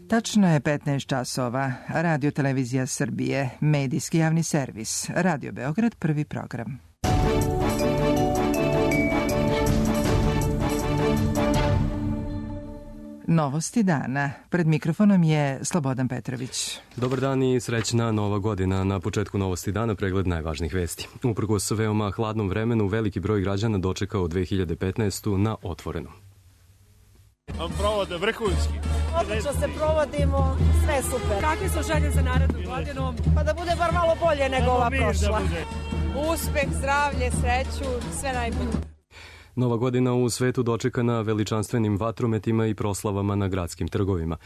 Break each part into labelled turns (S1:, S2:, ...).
S1: Tačno je 15 časova. Radio Televizija Srbije, medijski javni servis. Radio Beograd, prvi program. Novosti dana. Pred mikrofonom je Slobodan Petrović.
S2: Dobar dan i srećna nova godina. Na početku Novosti dana pregled najvažnijih vesti. Uprkos veoma hladnom vremenu, veliki broj građana dočekao 2015. na otvorenom.
S3: Provode vrhunski.
S4: Odlično se provodimo, sve super.
S5: Kakve su želje za narednu godinu?
S4: Pa da bude bar malo bolje nego ova prošla.
S5: Uspeh, zdravlje, sreću, sve najbolje.
S2: Nova godina u svetu dočekana veličanstvenim vatrometima i proslavama na gradskim trgovima.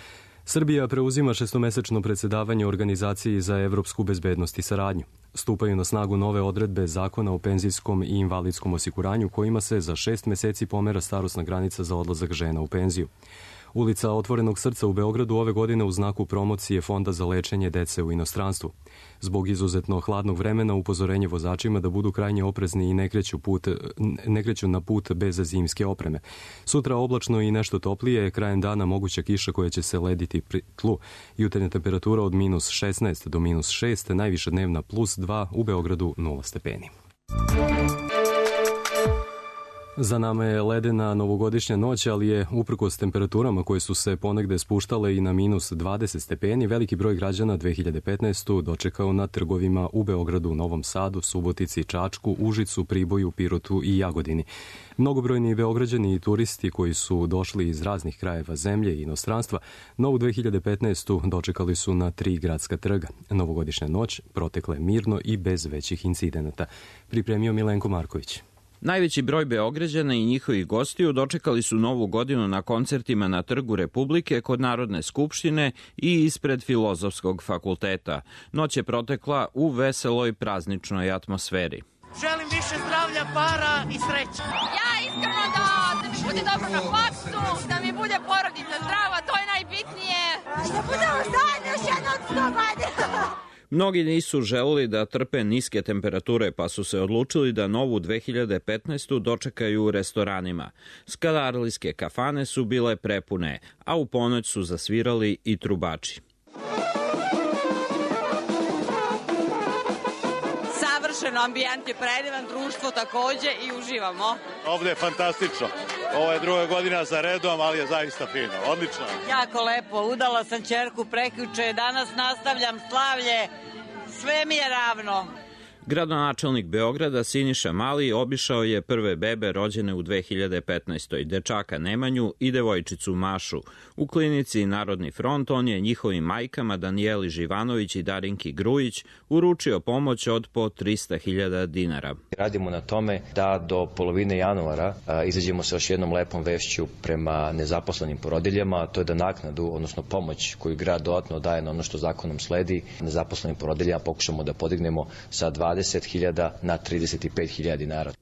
S2: Srbija preuzima šestomesečno predsedavanje Organizaciji za evropsku bezbednost i saradnju. Stupaju na snagu nove odredbe Zakona o penzijskom i invalidskom osiguranju kojima se za 6 meseci pomera starosna granica za odlazak žena u penziju. Ulica Otvorenog srca u Beogradu ove godine u znaku promocije Fonda za lečenje dece u inostranstvu. Zbog izuzetno hladnog vremena upozorenje vozačima da budu krajnje oprezni i ne kreću na put bez zimske opreme. Sutra oblačno i nešto toplije, krajem dana moguća kiša koja će se lediti pri tlu. Jutarnja temperatura od -16 do -6, najviša dnevna +2, u Beogradu 0 stepeni. Za nama je ledena novogodišnja noć, ali je uprkos temperaturama koje su se ponegde spuštale i na -20 stepeni, veliki broj građana 2015. dočekao na trgovima u Beogradu, Novom Sadu, Subotici, Čačku, Užicu, Priboju, Pirotu i Jagodini. Mnogobrojni Beograđani i turisti koji su došli iz raznih krajeva zemlje i inostranstva, novu 2015. dočekali su na 3 gradska trga. Novogodišnja noć protekla je mirno i bez većih incidenata. Pripremio Milenko Marković.
S6: Najveći broj Beograđana i njihovih gostiju dočekali su novu godinu na koncertima na Trgu Republike kod Narodne skupštine i ispred Filozofskog fakulteta. Noć je protekla u veseloj prazničnoj atmosferi.
S7: Želim više zdravlja, para i sreće.
S8: Ja iskreno da mi bude dobro na faksu, da mi bude porodica zdrava, to je najbitnije.
S4: Da budemo zajedno još jedno od 100 godina.
S6: Mnogi nisu želeli da trpe niske temperature, pa su se odlučili da novu 2015. dočekaju u restoranima. Skadarlijske kafane su bile prepune, a u ponoć su zasvirali i trubači.
S7: Savršeno, ambijent je predivan, društvo takođe i uživamo.
S3: Ovde je fantastično. Ovo je druga godina za redom, ali je zaista fino. Odlično.
S7: Jako lepo, udala sam ćerku prekjuče, danas nastavljam slavlje, sve mi je ravno.
S6: Gradonačelnik Beograda Siniša Mali obišao je prve bebe rođene u 2015. dečaka Nemanju i devojčicu Mašu. U klinici Narodni front on je njihovim majkama Danijeli Živanović i Darinki Grujić uručio pomoć od po 300.000 dinara.
S9: Radimo na tome da do polovine januara izađemo sa još jednom lepom vešću prema nezaposlenim porodiljama, a to je da naknadu, odnosno pomoć koju grad dodatno daje na ono što zakonom sledi, nezaposlenim porodiljama pokušamo da podignemo sa 20.000 na 35.000 dinara.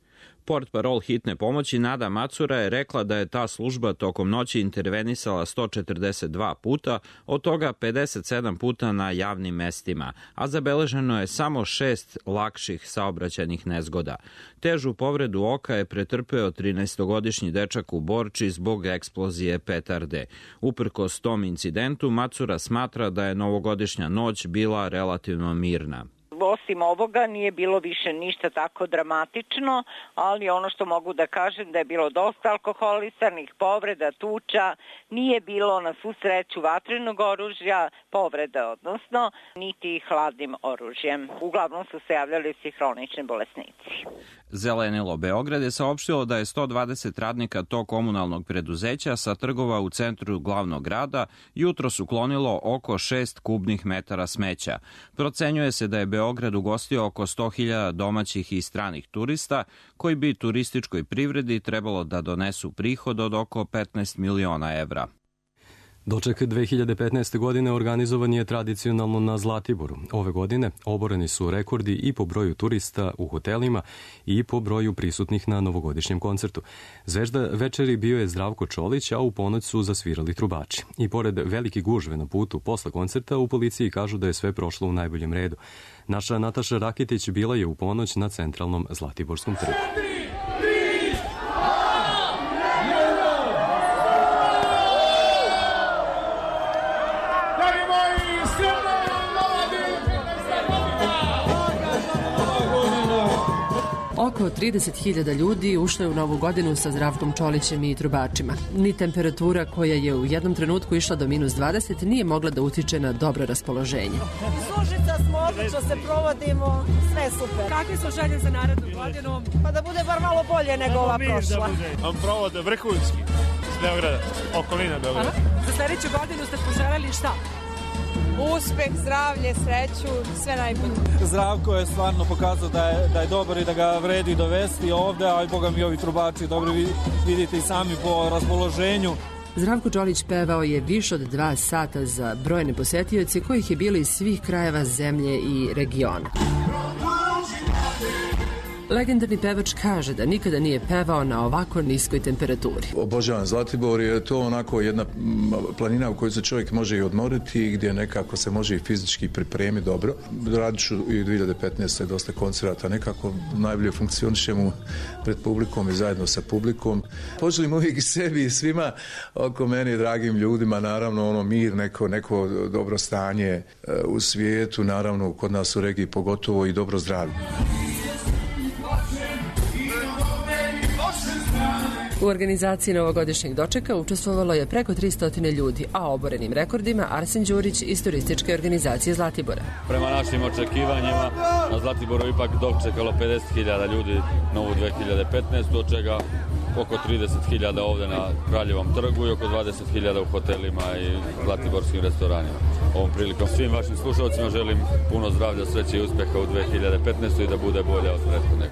S6: Portparol hitne pomoći Nada Macura je rekla da je ta služba tokom noći intervenisala 142 puta, od toga 57 puta na javnim mestima, a zabeleženo je samo 6 lakših saobraćajnih nezgoda. Težu povredu oka je pretrpeo 13-godišnji dečak u Borči zbog eksplozije petarde. Uprkos tom incidentu, Macura smatra da je novogodišnja noć bila relativno mirna.
S10: Osim ovoga nije bilo više ništa tako dramatično, ali ono što mogu da kažem da je bilo dosta alkoholisanih povreda, tuča, nije bilo na svu sreću vatrenog oružja, povreda odnosno, niti hladnim oružjem. Uglavnom su se javljali svi hronični bolesnici.
S6: Zelenilo Beograd je saopštilo da je 120 radnika tog komunalnog preduzeća sa trgova u centru glavnog grada jutros uklonilo oko 6 kubnih metara smeća. Procenjuje se da je Beograd ugostio oko 100.000 domaćih i stranih turista koji bi turističkoj privredi trebalo da donesu prihod od oko 15 miliona evra.
S2: Doček 2015. godine organizovan je tradicionalno na Zlatiboru. Ove godine oboreni su rekordi i po broju turista u hotelima i po broju prisutnih na novogodišnjem koncertu. Zvezda večeri bio je Zdravko Čolić, a u ponoć su zasvirali trubači. I pored velike gužve na putu posle koncerta, u policiji kažu da je sve prošlo u najboljem redu. Naša Nataša Rakitić bila je u ponoć na centralnom Zlatiborskom trgu.
S11: 30.000 ljudi ušlo je u novu godinu sa Zdravkom Čolićem i trubačima. Ni temperatura koja je u jednom trenutku išla do -20 nije mogla da utiče na dobro raspoloženje.
S12: Sužica smo, odlično se provodimo, sve super.
S13: Kakve su želje za narednu godinu?
S12: Pa da bude bar malo bolje nego ova prošla.
S14: On provode vrhunski iz Beograda, okolina Beograda.
S13: Za sljedeću godinu ste poželjeli šta?
S5: Uspeh, zdravlje, sreću, sve najbolje.
S15: Zdravko je stvarno pokazao da je dobar i da ga vredi dovesti ovde, a i boga mi ovi trubači dobri, vidite i sami po raspoloženju.
S11: Zdravko Čolić pevao je više od 2 sata za brojne posetioce kojih je bilo iz svih krajeva zemlje i regiona. Legendarni pevač kaže da nikada nije pevao na ovako niskoj temperaturi.
S16: Obožavam Zlatibor, je to onako jedna planina u kojoj se čovjek može i odmoriti i gdje nekako se može i fizički pripremiti dobro. Radit ću i 2015. dosta koncerata, nekako najbolje funkcionišemo pred publikom i zajedno sa publikom. Poželim uvijek i sebi i svima oko meni, dragim ljudima, naravno mir, neko dobro stanje u svijetu, naravno kod nas u regiji pogotovo i dobro zdravlje.
S11: U organizaciji novogodišnjeg dočeka učestvovalo je preko 300 ljudi, a oborenim rekordima Arsen Đurić iz turističke organizacije Zlatibora.
S17: Prema našim očekivanjima na Zlatiboru ipak dočekalo 50.000 ljudi novu 2015, od čega oko 30.000 ovde na Kraljevom trgu i oko 20.000 u hotelima i zlatiborskim restoranima. Ovom prilikom svim vašim slušalcima želim puno zdravlja, sreće i uspeha u 2015. i da bude bolja od prethodnog.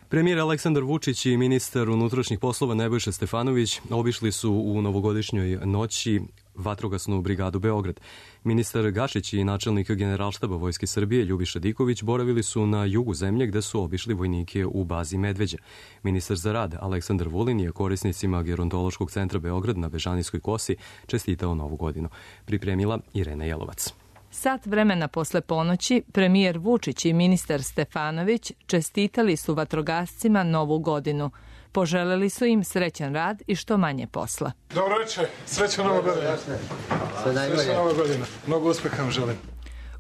S2: Premijer Aleksandar Vučić i ministar unutrašnjih poslova Nebojša Stefanović obišli su u novogodišnjoj noći Vatrogasnu brigadu Beograd. Ministar Gašić i načelnik Generalštaba Vojske Srbije Ljubiša Diković boravili su na jugu zemlje gde su obišli vojnike u bazi Medveđa. Ministar za rad Aleksandar Vulin je korisnicima Gerontološkog centra Beograd na Bežanijskoj kosi čestitao Novu godinu. Pripremila Irena Jelovac.
S18: Sat vremena posle ponoći, premijer Vučić i ministar Stefanović čestitali su vatrogascima Novu godinu. Poželeli su im srećan rad i što manje posla.
S14: Dobro večer, srećna Nova godina. Srećna Nova godina. Mnogo uspeha vam želim.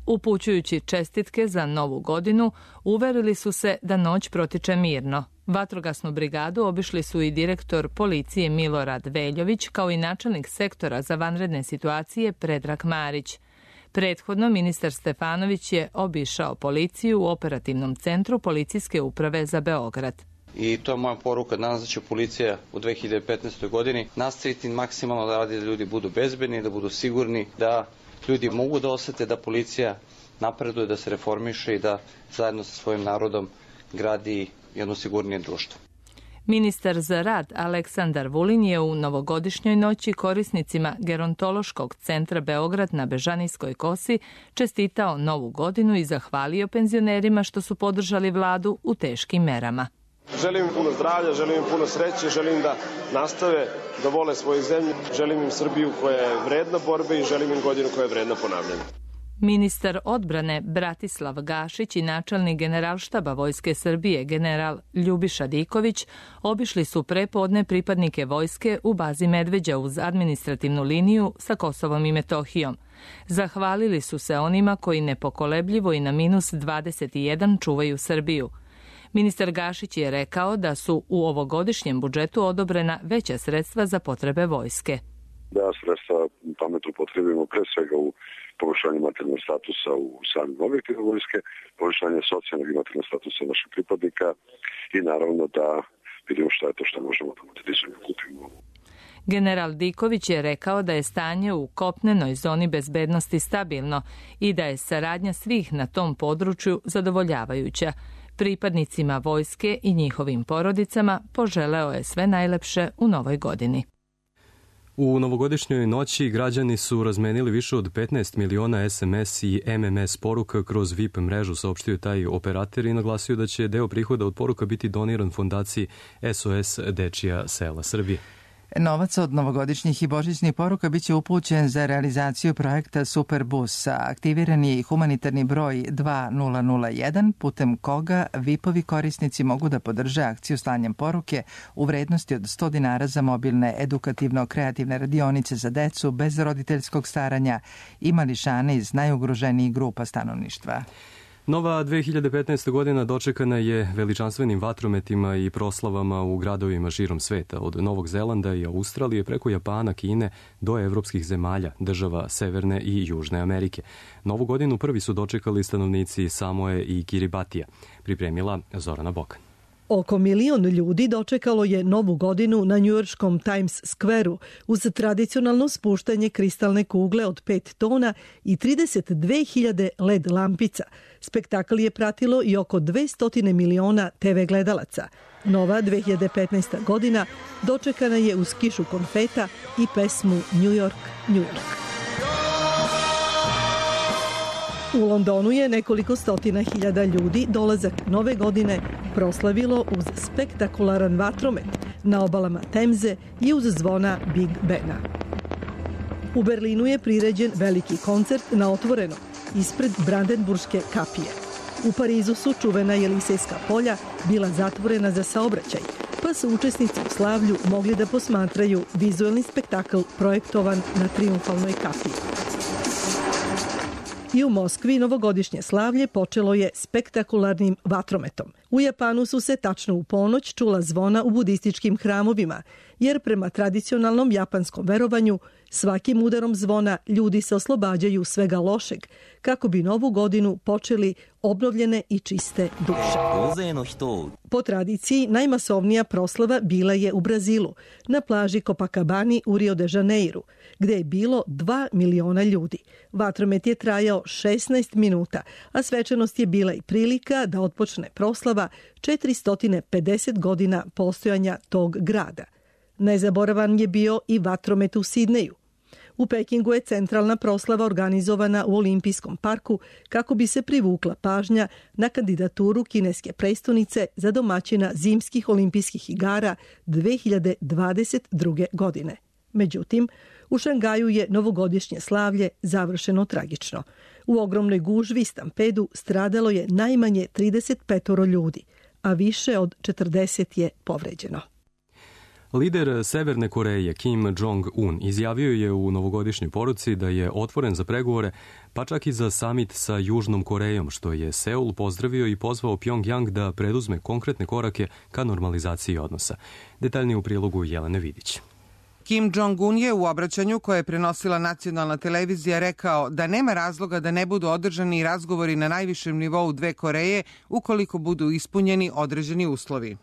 S18: Upućujući čestitke za Novu godinu, uverili su se da noć protiče mirno. Vatrogasnu brigadu obišli su i direktor policije Milorad Veljović, kao i načelnik sektora za vanredne situacije Predrag Marić. Prethodno, ministar Stefanović je obišao policiju u operativnom centru Policijske uprave za Beograd.
S19: I to je moja poruka danas, da će policija u 2015. godini nastaviti maksimalno da radi, da ljudi budu bezbedni, da budu sigurni, da ljudi mogu da osete da policija napreduje, da se reformiše i da zajedno sa svojim narodom gradi jedno sigurnije društvo.
S18: Ministar za rad Aleksandar Vulin je u novogodišnjoj noći korisnicima Gerontološkog centra Beograd na Bežanijskoj kosi čestitao Novu godinu i zahvalio penzionerima što su podržali vladu u teškim merama.
S20: Želim im puno zdravlja, želim im puno sreće, želim da nastave da vole svoju zemlju, želim im Srbiju koja je vredna borbe i želim im godinu koja je vredna ponavljanja.
S18: Ministar odbrane Bratislav Gašić i načelnik Generalštaba Vojske Srbije general Ljubiša Diković obišli su prepodne pripadnike vojske u bazi Medveđa uz administrativnu liniju sa Kosovom i Metohijom. Zahvalili su se onima koji nepokolebljivo i na -21 čuvaju Srbiju. Ministar Gašić je rekao da su u ovogodišnjem budžetu odobrena veća sredstva za potrebe vojske.
S21: Da sredstva pametno upotrebimo pre svega u poboljšanje materijalnog statusa u samim objektima vojske, poboljšanje socijalnog i materijalnog statusa naših pripadnika i naravno da vidimo šta je to što možemo da modernizujemo, kupimo.
S18: General Diković je rekao da je stanje u kopnenoj zoni bezbednosti stabilno i da je saradnja svih na tom području zadovoljavajuća. Pripadnicima vojske i njihovim porodicama poželeo je sve najlepše u novoj godini.
S2: U novogodišnjoj noći građani su razmenili više od 15 miliona SMS i MMS poruka kroz VIP mrežu, saopštio taj operator i naglasio da će deo prihoda od poruka biti doniran fondaciji SOS Dečija sela Srbije.
S1: Novac od novogodišnjih i božićnih poruka biće upućen za realizaciju projekta Superbus, a aktiviran je i humanitarni broj 2001, putem koga VIP-ovi korisnici mogu da podrže akciju slanjem poruke u vrednosti od 100 dinara za mobilne edukativno-kreativne radionice za decu bez roditeljskog staranja i mališane iz najugroženijih grupa stanovništva.
S2: Nova 2015. godina dočekana je veličanstvenim vatrometima i proslavama u gradovima širom sveta, od Novog Zelanda i Australije preko Japana, Kine do evropskih zemalja, država Severne i Južne Amerike. Novu godinu prvi su dočekali stanovnici Samoe i Kiribatija, pripremila Zorana Bokan.
S8: Oko 1 milion ljudi dočekalo je Novu godinu na njujorškom Times Square-u uz tradicionalno spuštanje kristalne kugle od 5 tona i 32.000 LED lampica. Spektakl je pratilo i oko 200 miliona TV gledalaca. Nova 2015. godina dočekana je uz kišu konfeta i pesmu New York, New York. U Londonu je nekoliko stotina hiljada ljudi dolazak Nove godine proslavilo uz spektakularan vatromet na obalama Temze i uz zvona Big Bena. U Berlinu je priređen veliki koncert na otvoreno ispred Brandenburške kapije. U Parizu su čuvena Jelisejska polja bila zatvorena za saobraćaj, pa su učesnici u slavlju mogli da posmatraju vizuelni spektakl projektovan na Trijumfalnoj kapiji. I u Moskvi novogodišnje slavlje počelo je spektakularnim vatrometom. U Japanu su se tačno u ponoć čula zvona u budističkim hramovima, jer prema tradicionalnom japanskom verovanju svakim udarom zvona ljudi se oslobađaju svega lošeg, kako bi novu godinu počeli obnovljene i čiste duše. Po tradiciji, najmasovnija proslava bila je u Brazilu, na plaži Copacabani u Rio de Janeiru, gde je bilo 2 miliona ljudi. Vatromet je trajao 16 minuta, a svečanost je bila i prilika da otpočne proslava 450 godina postojanja tog grada. Nezaboravan je bio i vatromet u Sidneju. U Pekingu je centralna proslava organizovana u Olimpijskom parku kako bi se privukla pažnja na kandidaturu kineske prestonice za domaćina zimskih olimpijskih igara 2022. godine. Međutim, u Šangaju je novogodišnje slavlje završeno tragično. U ogromnoj gužvi i stampedu stradalo je najmanje 35 ljudi, a više od 40 je povređeno.
S2: Lider Severne Koreje Kim Jong-un izjavio je u novogodišnjoj poruci da je otvoren za pregovore, pa čak i za samit sa Južnom Korejom, što je Seul pozdravio i pozvao Pjongjang da preduzme konkretne korake ka normalizaciji odnosa. Detaljnije u prilogu Jelene Vidić.
S22: Kim Jong-un je u obraćanju koje je prenosila nacionalna televizija rekao da nema razloga da ne budu održani razgovori na najvišem nivou dve Koreje ukoliko budu ispunjeni određeni uslovi.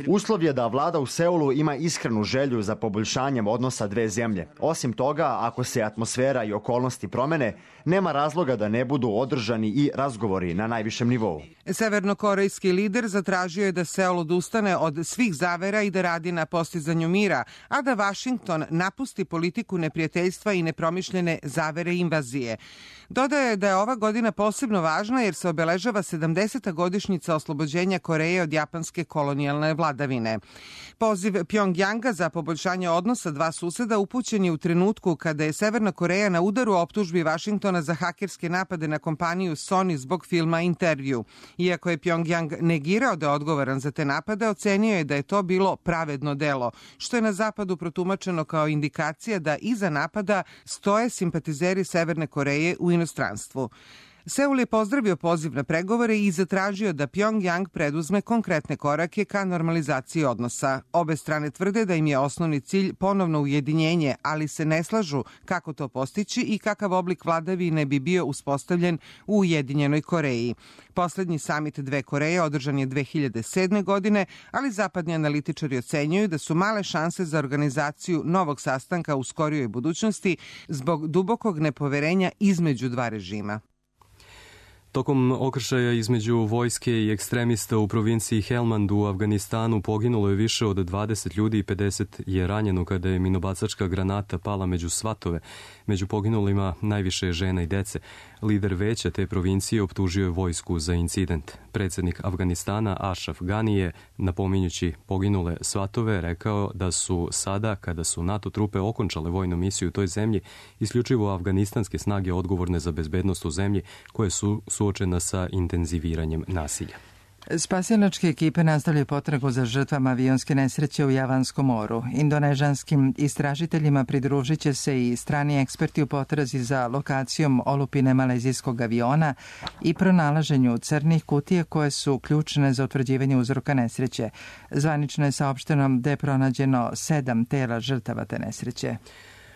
S23: Uslov je da vlada u Seulu ima iskrenu želju za poboljšanjem odnosa dve zemlje. Osim toga, ako se atmosfera i okolnosti promene, nema razloga da ne budu održani i razgovori na najvišem nivou.
S22: Severnokorejski lider zatražio je da Seul odustane od svih zavera i da radi na postizanju mira, a da Vašington napusti politiku neprijateljstva i nepromišljene zavere i invazije. Dodaje da je ova godina posebno važna jer se obeležava 70. godišnjica oslobođenja Koreje od japanske kolonijalne vladavine. Poziv Pjongjanga za poboljšanje odnosa dva suseda upućen je u trenutku kada je Severna Koreja na udaru optužbi Vašingtona za hakerske napade na kompaniju Sony zbog filma Intervju. Iako je Pjongjang negirao da je odgovoran za te napade, ocenio je da je to bilo pravedno delo, što je na zapadu protumačeno kao indikacija da iza napada stoje simpatizeri Severne Koreje u inostranstvu. Seul je pozdravio poziv na pregovore i zatražio da Pjongjang preduzme konkretne korake ka normalizaciji odnosa. Obe strane tvrde da im je osnovni cilj ponovno ujedinjenje, ali se ne slažu kako to postići i kakav oblik vladavine bi bio uspostavljen u Ujedinjenoj Koreji. Poslednji samit dve Koreje održan je 2007. godine, ali zapadni analitičari ocenjuju da su male šanse za organizaciju novog sastanka u skorijoj budućnosti zbog dubokog nepoverenja između dva režima.
S2: Tokom okršaja između vojske i ekstremista u provinciji Helmand u Afganistanu poginulo je više od 20 ljudi i 50 je ranjeno kada je minobacačka granata pala među svatove. Među poginulima najviše je žena i dece. Lider veća te provincije optužio je vojsku za incident. Predsjednik Afganistana Ashraf Ghani je, napominjući poginule svatove, rekao da su sada, kada su NATO trupe okončale vojnu misiju u toj zemlji, isključivo afganistanske snage odgovorne za bezbednost u zemlji koje su suočena sa intenziviranjem nasilja.
S1: Spasilačke ekipe nastavljaju potragu za žrtvama avionske nesreće u Javanskom moru. Indonežanskim istražiteljima pridružit će se i strani eksperti u potrazi za lokacijom olupine malezijskog aviona i pronalaženju crnih kutija koje su ključne za utvrđivanje uzroka nesreće. Zvanično je saopšteno da je pronađeno 7 tela žrtava te nesreće.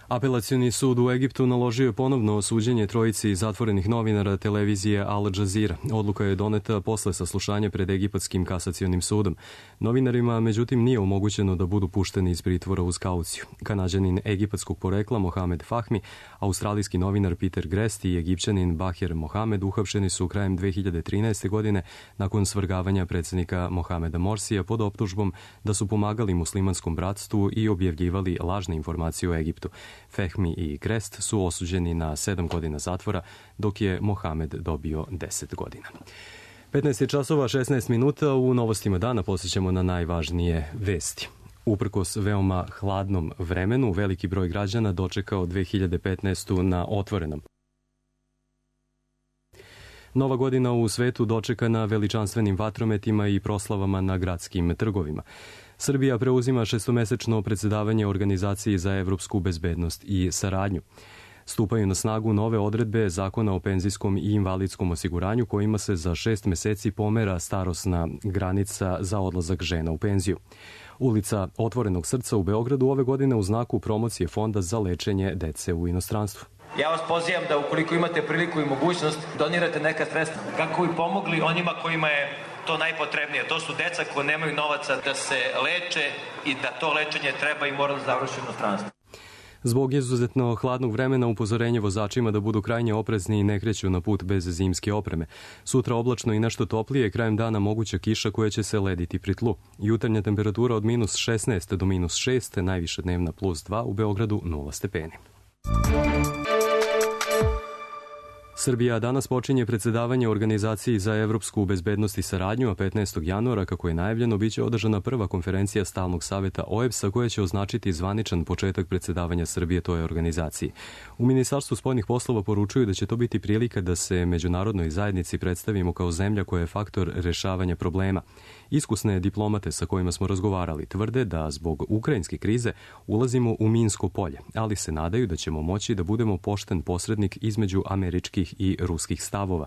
S2: Apelacioni sud u Egiptu naložio je ponovno osuđenje trojici zatvorenih novinara televizije Al Jazeera. Odluka je doneta posle saslušanja pred Egipatskim kasacionim sudom. Novinarima, međutim, nije omogućeno da budu pušteni iz pritvora uz kauciju. Kanađanin egipatskog porekla Mohamed Fahmi, australijski novinar Peter Grest i Egipćanin Baher Mohamed uhapšeni su krajem 2013. godine nakon svrgavanja predsjednika Mohameda Morsija pod optužbom da su pomagali muslimanskom bratstvu i objavljivali lažne informacije o Egiptu. Fehmi i Grest su osuđeni na 7 godina zatvora, dok je Mohamed dobio 10 godina. 15 časova 16 minuta, u novostima dana posjećamo na najvažnije vesti. Uprkos veoma hladnom vremenu, veliki broj građana dočekao 2015. na otvorenom. Nova godina u svetu dočekana veličanstvenim vatrometima i proslavama na gradskim trgovima. Srbija preuzima šestomesečno predsjedavanje Organizaciji za evropsku bezbednost i saradnju. Stupaju na snagu nove odredbe Zakona o penzijskom i invalidskom osiguranju kojima se za 6 meseci pomera starosna granica za odlazak žena u penziju. Ulica Otvorenog srca u Beogradu ove godine u znaku promocije Fonda za lečenje dece u inostranstvu.
S3: Ja vas pozivam da ukoliko imate priliku i mogućnost donirate neka sredstva kako bi pomogli onima kojima je to najpotrebnije. To su deca koji nemaju novaca da se leče i da to lečenje treba i mora da završi u inostranstvu.
S2: Zbog izuzetno hladnog vremena upozorenje vozačima da budu krajnje oprezni i ne kreću na put bez zimske opreme. Sutra oblačno i nešto toplije, krajem dana moguća kiša koja će se lediti pri tlu. Jutarnja temperatura od minus 16 do minus 6, najviša dnevna plus 2, u Beogradu 0 stepeni. Srbija danas počinje predsjedavanje Organizaciji za evropsku bezbednost i saradnju, a 15. januara, kako je najavljeno, biće održana prva konferencija Stalnog saveta OEBS-a koja će označiti zvaničan početak predsjedavanja Srbije toj organizaciji. U Ministarstvu spoljnih poslova poručuju da će to biti prilika da se međunarodnoj zajednici predstavimo kao zemlja koja je faktor rešavanja problema. Iskusne diplomate sa kojima smo razgovarali tvrde da zbog ukrajinske krize ulazimo u minsko polje, ali se nadaju da ćemo moći da budemo pošten posrednik između američkih i ruskih stavova.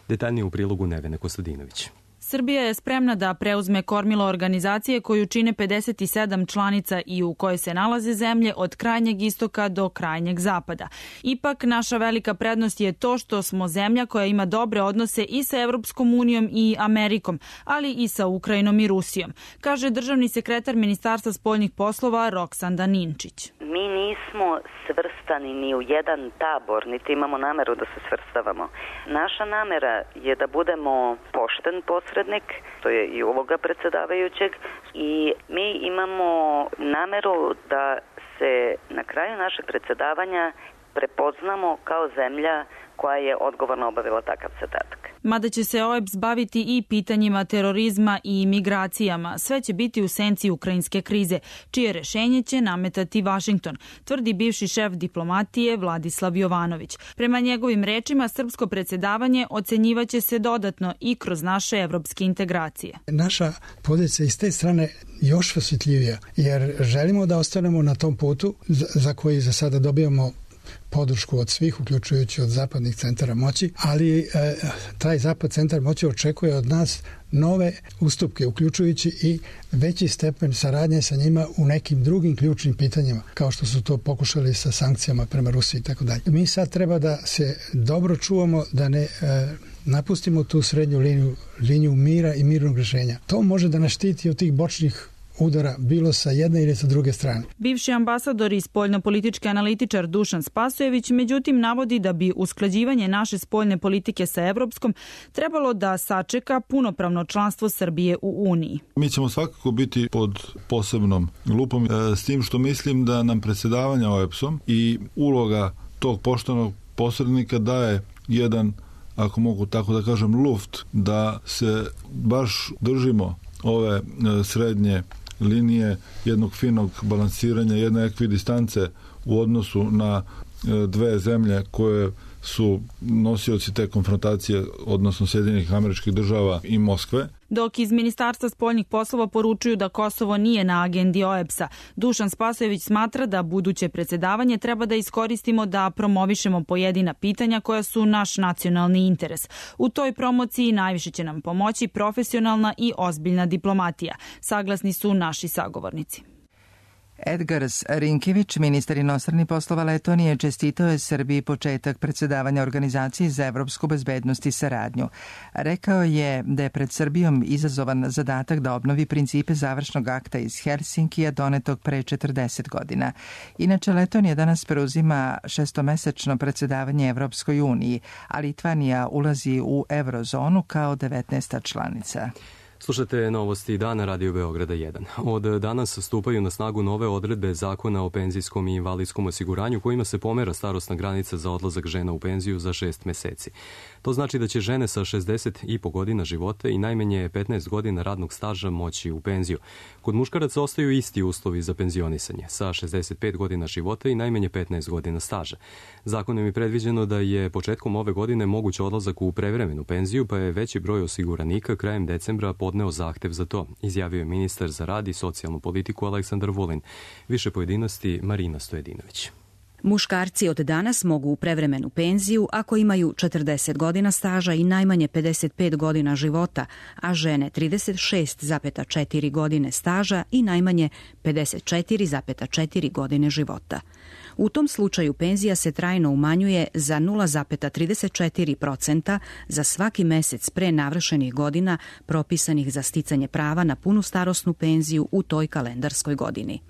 S2: Detaljnije u prilogu Nevene Kostadinović.
S4: Srbija je spremna da preuzme kormilo organizacije koju čine 57 članica i u kojoj se nalaze zemlje od krajnjeg istoka do krajnjeg zapada. Ipak, naša velika prednost je to što smo zemlja koja ima dobre odnose i sa Evropskom unijom i Amerikom, ali i sa Ukrajinom i Rusijom, kaže državni sekretar Ministarstva spoljnih poslova Roksanda Ninčić.
S7: Mi nismo svrstani ni u jedan tabor, niti imamo nameru da se svrstavamo. Naša namera je da budemo pošten posrednik, to je i uloga predsjedavajućeg, i mi imamo nameru da se na kraju našeg predsjedavanja prepoznamo kao zemlja koja je odgovorno obavila takav zadatak.
S4: Mada će se OEBS baviti i pitanjima terorizma i migracijama, sve će biti u senci ukrajinske krize, čije rešenje će nametati Vašington, tvrdi bivši šef diplomatije Vladislav Jovanović. Prema njegovim rečima, srpsko predsjedavanje ocenjivaće se dodatno i kroz naše evropske integracije.
S24: Naša pozicija iz te strane još osjetljivija, jer želimo da ostanemo na tom putu za koji za sada dobijamo podršku od svih, uključujući od zapadnih centara moći, ali taj zapad centar moći očekuje od nas nove ustupke, uključujući i veći stepen saradnje sa njima u nekim drugim ključnim pitanjima, kao što su to pokušali sa sankcijama prema Rusiji i tako dalje. Mi sad treba da se dobro čuvamo, da ne napustimo tu srednju liniju mira i mirnog rješenja. To može da nas štiti od tih bočnih udara, bilo sa jedne ili sa druge strane.
S4: Bivši ambasador i spoljnopolitički analitičar Dušan Spasojević međutim navodi da bi usklađivanje naše spoljne politike sa evropskom trebalo da sačeka punopravno članstvo Srbije u Uniji.
S25: Mi ćemo svakako biti pod posebnom lupom, s tim što mislim da nam predsjedavanje OEBS-om i uloga tog poštenog posrednika daje jedan, ako mogu tako da kažem, luft, da se baš držimo ove srednje linije, jednog finog balansiranja, jedne ekvidistance u odnosu na dve zemlje koje su nosioci te konfrontacije, odnosno Sjedinjenih Američkih Država i Moskve.
S4: Dok iz Ministarstva spoljnih poslova poručuju da Kosovo nije na agendi OEBS-a, Dušan Spasojević smatra da buduće predsjedavanje treba da iskoristimo da promovišemo pojedina pitanja koja su naš nacionalni interes. U toj promociji najviše će nam pomoći profesionalna i ozbiljna diplomatija, saglasni su naši sagovornici.
S1: Edgars Rinkević, ministar inostranih poslova Letonije, čestitao je Srbiji početak predsjedavanja Organizaciji za evropsku bezbednost i saradnju. Rekao je da je pred Srbijom izazovan zadatak da obnovi principe završnog akta iz Helsinkija donetog pre 40 godina. Inače, Letonija danas preuzima šestomesečno predsjedavanje Evropskoj uniji, a Litvanija ulazi u eurozonu kao 19. članica.
S2: Slušate novosti dana Radio Beograda 1. Od danas stupaju na snagu nove odredbe Zakona o penzijskom i invalidskom osiguranju kojima se pomera starosna granica za odlazak žena u penziju za 6 meseci. To znači da će žene sa 60,5 godina života i najmanje 15 godina radnog staža moći u penziju. Kod muškaraca ostaju isti uslovi za penzionisanje, sa 65 godina života i najmanje 15 godina staža. Zakonom je predviđeno da je početkom ove godine moguć odlazak u prevremenu penziju, pa je veći broj osiguranika krajem decembra podneo zahtev za to, izjavio je ministar za rad i socijalnu politiku Aleksandar Vulin. Više pojedinosti Marina Stojedinović.
S6: Muškarci od danas mogu u prevremenu penziju ako imaju 40 godina staža i najmanje 55 godina života, a žene 36,4 godine staža i najmanje 54,4 godine života. U tom slučaju penzija se trajno umanjuje za 0,34% za svaki mesec pre navršenih godina propisanih za sticanje prava na punu starosnu penziju u toj kalendarskoj godini.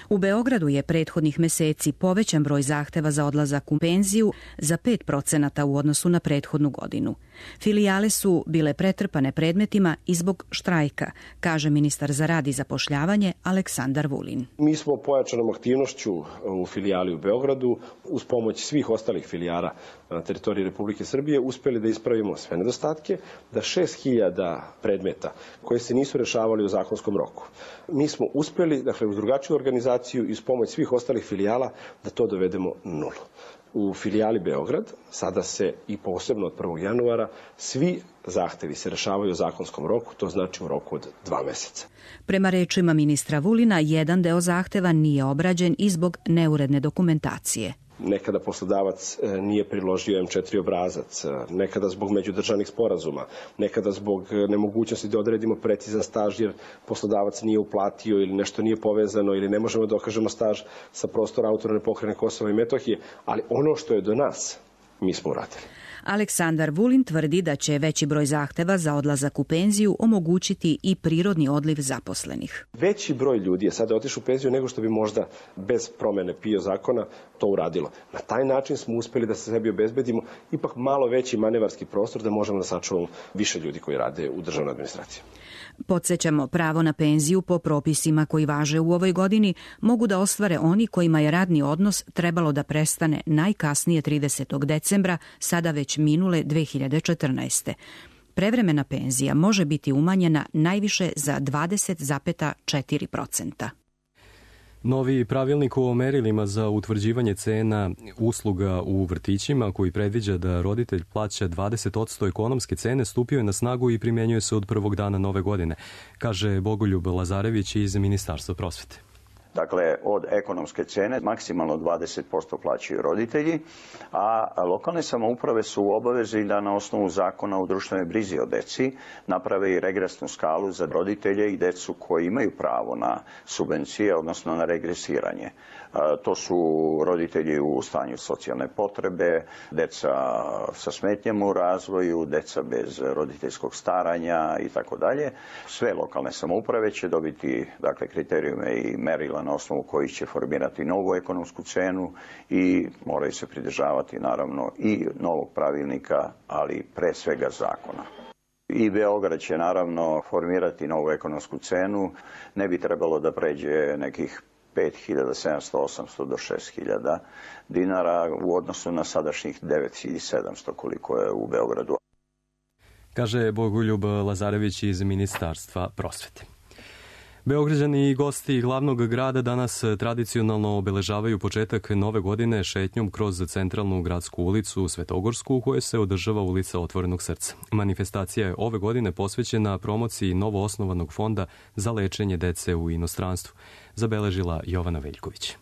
S6: U Beogradu je prethodnih meseci povećan broj zahteva za odlazak u penziju za 5% u odnosu na prethodnu godinu. Filijale su bile pretrpane predmetima i zbog štrajka, kaže ministar za rad i zapošljavanje Aleksandar Vulin.
S20: Mi smo pojačanom aktivnošću u filijali u Beogradu uz pomoć svih ostalih filijala na teritoriji Republike Srbije uspeli da ispravimo sve nedostatke, da 6.000 predmeta koje se nisu rešavali u zakonskom roku. Mi smo uspeli, dakle, uz drugačiju organizaciju i uz pomoć svih ostalih filijala da to dovedemo nulu. U filijali Beograd sada se i posebno od 1. januara svi zahtevi se rešavaju u zakonskom roku, to znači u roku od 2 meseca.
S6: Prema rečima ministra Vulina, jedan deo zahteva nije obrađen i zbog neuredne dokumentacije.
S20: Nekada poslodavac nije priložio M4 obrazac, nekada zbog međudržavnih sporazuma, nekada zbog nemogućnosti da odredimo precizan staž jer poslodavac nije uplatio ili nešto nije povezano ili ne možemo da dokažemo staž sa prostora Autonomne pokrajine Kosova i Metohije, ali ono što je do nas, mi smo uradili.
S6: Aleksandar Vulin tvrdi da će veći broj zahteva za odlazak u penziju omogućiti i prirodni odliv zaposlenih.
S20: Veći broj ljudi je sada otišao u penziju nego što bi možda bez promene PIO zakona to uradilo. Na taj način smo uspeli da se sebi obezbedimo ipak malo veći manevarski prostor da možemo da sačuvamo više ljudi koji rade u državnoj administraciji.
S6: Podsjećamo, pravo na penziju po propisima koji važe u ovoj godini mogu da ostvare oni kojima je radni odnos trebalo da prestane najkasnije 30. decembra, sada već minule 2014. Prevremena penzija može biti umanjena najviše za 20,4%.
S2: Novi pravilnik o merilima za utvrđivanje cena usluga u vrtićima, koji predviđa da roditelj plaća 20% ekonomske cene, stupio je na snagu i primjenjuje se od prvog dana nove godine, kaže Bogoljub Lazarević iz Ministarstva prosvete.
S9: Dakle, od ekonomske cene maksimalno 20% plaćaju roditelji, a lokalne samouprave su u obavezi da na osnovu zakona o društvenoj brizi o deci naprave i regresnu skalu za roditelje i decu koji imaju pravo na subvencije, odnosno na regresiranje. To su roditelji u stanju socijalne potrebe, deca sa smetnjama u razvoju, deca bez roditeljskog staranja i tako dalje. Sve lokalne samouprave će dobiti, dakle, kriterijume i merila na osnovu kojih će formirati novu ekonomsku cenu i moraju se pridržavati naravno i novog pravilnika, ali pre svega zakona. I Beograd će naravno formirati novu ekonomsku cenu, ne bi trebalo da pređe nekih 5.700, 800 do 6.000 dinara u odnosu na sadašnjih 9.700 koliko je u Beogradu.
S2: Kaže Bogoljub Lazarević iz Ministarstva prosvete. Beograđani i gosti glavnog grada danas tradicionalno obeležavaju početak nove godine šetnjom kroz centralnu gradsku ulicu Svetogorsku u kojoj se održava ulica Otvorenog srca. Manifestacija je ove godine posvećena promociji novoosnovanog fonda za lečenje dece u inostranstvu, zabeležila Jovana Veljković.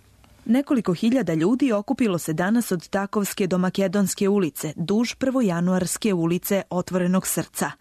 S5: Nekoliko hiljada ljudi okupilo se danas od Takovske do Makedonske ulice, duž prvojanuarske ulice Otvorenog srca.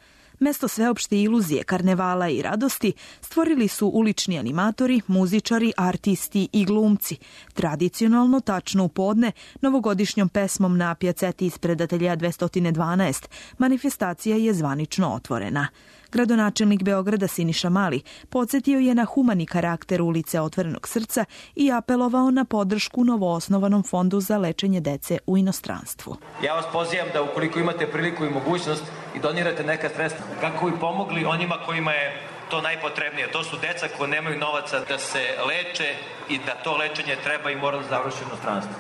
S5: Mesto sveopšte iluzije, karnevala i radosti stvorili su ulični animatori, muzičari, artisti i glumci. Tradicionalno, tačno u podne, novogodišnjom pesmom na pjaceti ispred ateljeja 212, manifestacija je zvanično otvorena. Gradonačelnik Beograda Siniša Mali podsjetio je na humani karakter ulice Otvorenog srca i apelovao na podršku novoosnovanom fondu za lečenje dece u inostranstvu.
S3: Ja vas pozivam da ukoliko imate priliku i mogućnost i donirate neka sredstva kako bi pomogli onima kojima je to najpotrebnije. To su deca koji nemaju novaca da se leče i da to lečenje treba i mora da završi u inostranstvu.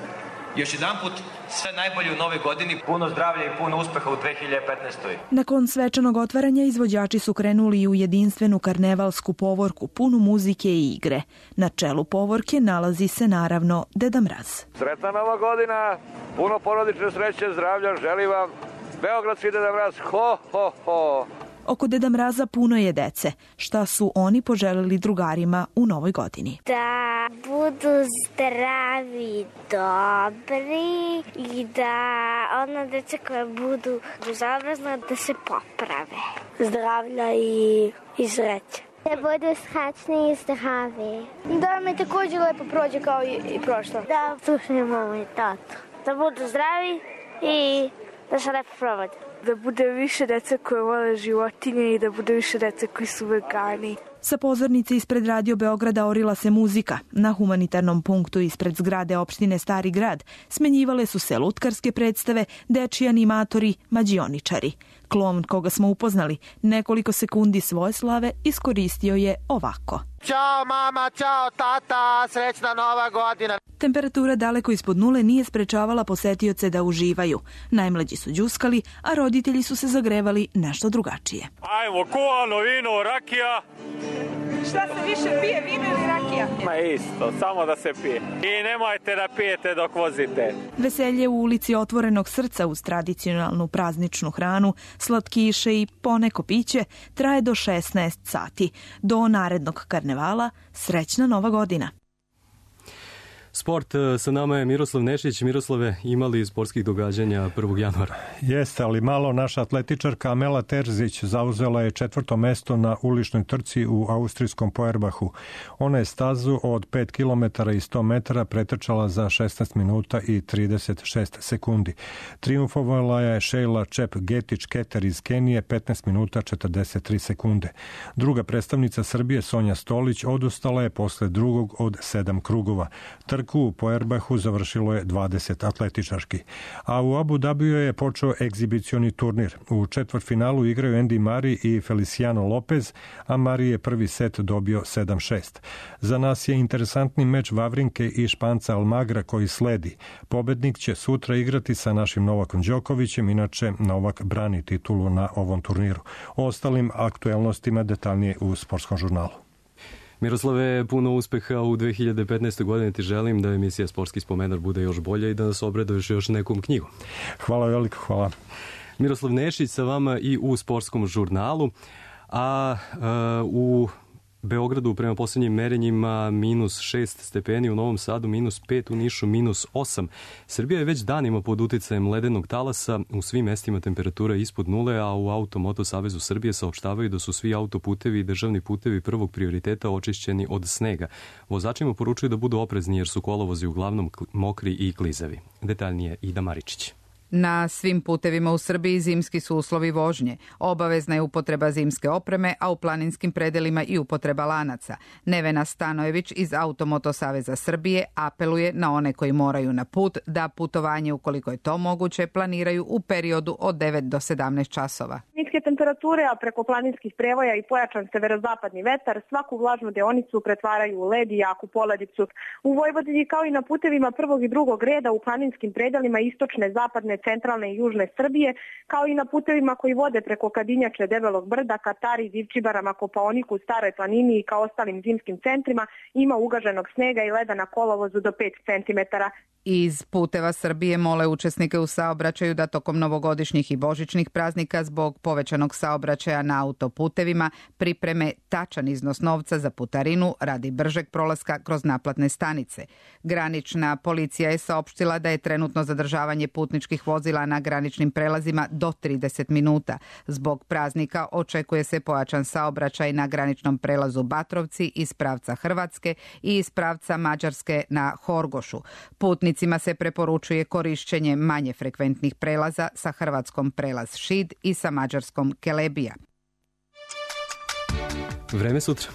S3: Još jedan put sve najbolje u nove godini, puno zdravlja i puno uspeha u 2015.
S5: Nakon svečanog otvaranja izvođači su krenuli u jedinstvenu karnevalsku povorku punu muzike i igre. Na čelu povorke nalazi se naravno Deda Mraz.
S10: Sretna nova godina, puno porodične sreće, zdravlja, želim vam beogradski Deda Mraz, ho, ho, ho.
S5: Oko Deda Mraza puno je dece. Šta su oni poželeli drugarima u novoj godini?
S12: Da budu zdravi, dobri i da ona deca koja budu bezobrazna da se poprave. Zdravlja i sreće. Da budu srećni i zdravi. Da mi također lepo prođe kao i prošlo. Da slušaju mamu i tatu. Da budu zdravi i da se lepo provode.
S13: Da bude više dece koje vole životinje i da bude više dece koji su vegani.
S5: Sa pozornice ispred Radio Beograda orila se muzika. Na humanitarnom punktu ispred zgrade opštine Stari grad smenjivale su se lutkarske predstave, dečiji animatori, mađioničari. Klovn koga smo upoznali nekoliko sekundi svoje slave iskoristio je ovako.
S15: Ćao mama, ćao tata, srećna nova godina.
S5: Temperatura daleko ispod nule nije sprečavala posetioce da uživaju. Najmlađi su đuskali, a roditelji su se zagrevali nešto drugačije.
S10: Ajmo, kuvano vino, rakija.
S13: Šta se više pije, vino ili rakija?
S10: Ma isto, samo da se pije. I nemojte da pijete dok vozite.
S5: Veselje u ulici Otvorenog srca uz tradicionalnu prazničnu hranu, slatkiše i poneko piće traje do 16 sati. Do narednog karnevala, srećna nova godina.
S2: Sport, sa nama je Miroslav Nešić. Miroslave, imali sportskih događanja 1. januara?
S26: Jeste, ali malo naša atletičarka Amela Terzić zauzela je 4. mesto na uličnoj trci u austrijskom Feuerbachu. Ona je stazu od 5 km i 100 metara pretrčala za 16 minuta i 36 sekundi. Triumfovala je Sheila Čep-Getić-Keter iz Kenije 15 minuta 43 sekunde. Druga predstavnica Srbije Sonja Stolić odustala je posle drugog od 7 krugova. U Feuerbachu završilo je 20 atletičarki. A u Abu Dhabiju je počeo egzibicioni turnir. U četvrtfinalu igraju Andy Murray i Feliciano Lopez, a Murray je prvi set dobio 7-6. Za nas je interesantni meč Vavrinke i Španca Almagra koji sledi. Pobednik će sutra igrati sa našim Novakom Đokovićem, inače Novak brani titulu na ovom turniru. O ostalim aktuelnostima detaljnije u Sportskom žurnalu.
S2: Miroslave, puno uspeha u 2015. godini ti želim, da emisija Sportski spomenar bude još bolja i da nas obraduješ još nekom knjigom.
S26: Hvala veliko, hvala.
S2: Miroslav Nešić sa vama i u Sportskom žurnalu, a u Beogradu prema posljednjim merenjima -6 stepeni, u Novom Sadu -5, u Nišu -8. Srbija je već danima pod uticajem ledenog talasa, u svim mestima temperatura je ispod nule, a u Auto-Moto Savezu Srbije saopštavaju da su svi autoputevi i državni putevi prvog prioriteta očišćeni od snega. Vozačima poručuju da budu oprezni jer su kolovozi uglavnom mokri i klizavi. Detaljnije Ida Maričić.
S27: Na svim putevima u Srbiji zimski su uslovi vožnje. Obavezna je upotreba zimske opreme, a u planinskim predelima i upotreba lanaca. Nevena Stanojević iz Automoto Saveza Srbije apeluje na one koji moraju na put da putovanje, ukoliko je to moguće, planiraju u periodu od 9 do 17 časova.
S13: Niske temperature, a preko planinskih prevoja i pojačan severozapadni vetar svaku vlažnu deonicu pretvaraju u led i jaku poledicu. U Vojvodini kao i na putevima prvog i drugog reda u planinskim predelima istočne, zapadne, severne, centralne i južne Srbije, kao i na putevima koji vode preko Kadinjače, Debelog brda, Katari, Divčibarama, Kopaoniku, Staroj planini i kao ostalim zimskim centrima ima ugaženog snega i leda na kolovozu do 5 cm.
S27: Iz Puteva Srbije mole učesnike u saobraćaju da tokom novogodišnjih i božićnih praznika zbog povećanog saobraćaja na autoputevima pripreme tačan iznos novca za putarinu radi bržeg prolaska kroz naplatne stanice. Granična policija je saopštila da je trenutno zadržavanje putničkih vozila na graničnim prelazima do 30 minuta. Zbog praznika očekuje se pojačan saobraćaj na graničnom prelazu Batrovci iz pravca Hrvatske i iz pravca Mađarske na Horgošu. Putnicima se preporučuje korišćenje manje frekventnih prelaza sa hrvatskom prelaz Šid i sa mađarskom Kelebija.
S2: Vreme sutra.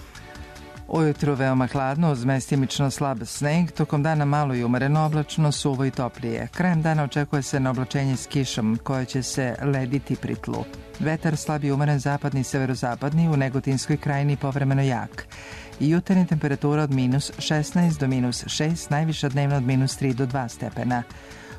S1: Ujutru veoma hladno, uz mestimično slab sneg, tokom dana malo i umereno oblačno, suvo i toplije. Krajem dana očekuje se oblačenje s kišom, koje će se lediti pri tlu. Vetar slab i umeren zapadni i severozapadni, u Negotinskoj krajini povremeno jak. I jutarnja temperatura od -16 do -6, najviša dnevna od -3 do 2 stepena.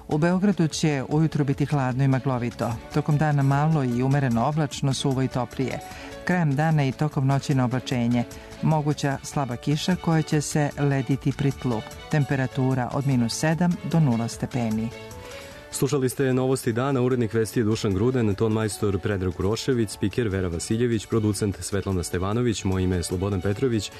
S1: U Beogradu će ujutru biti hladno i maglovito. Tokom dana malo i umereno oblačno, suvo i toplije. Krajem dana i tokom noći na oblačenje. Moguća slaba kiša koja će se lediti pri tlu. Temperatura od -7 do 0 stepeni.
S2: Slušali ste Novosti dana, urednik vesti je Dušan Gruden, ton majstor Predrag Urošević, spiker Vera Vasiljević, producent Svetlana Stevanović, moje ime je Slobodan Petrović.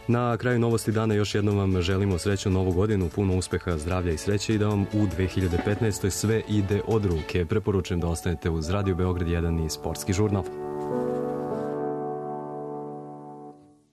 S2: Na kraju Novosti dana još jednom vam želimo srećnu novu godinu, puno uspeha, zdravlja i sreće i da vam u 2015. sve ide od ruke. Preporučujem da ostanete uz Radio Beograd 1 i Sportski žurnal.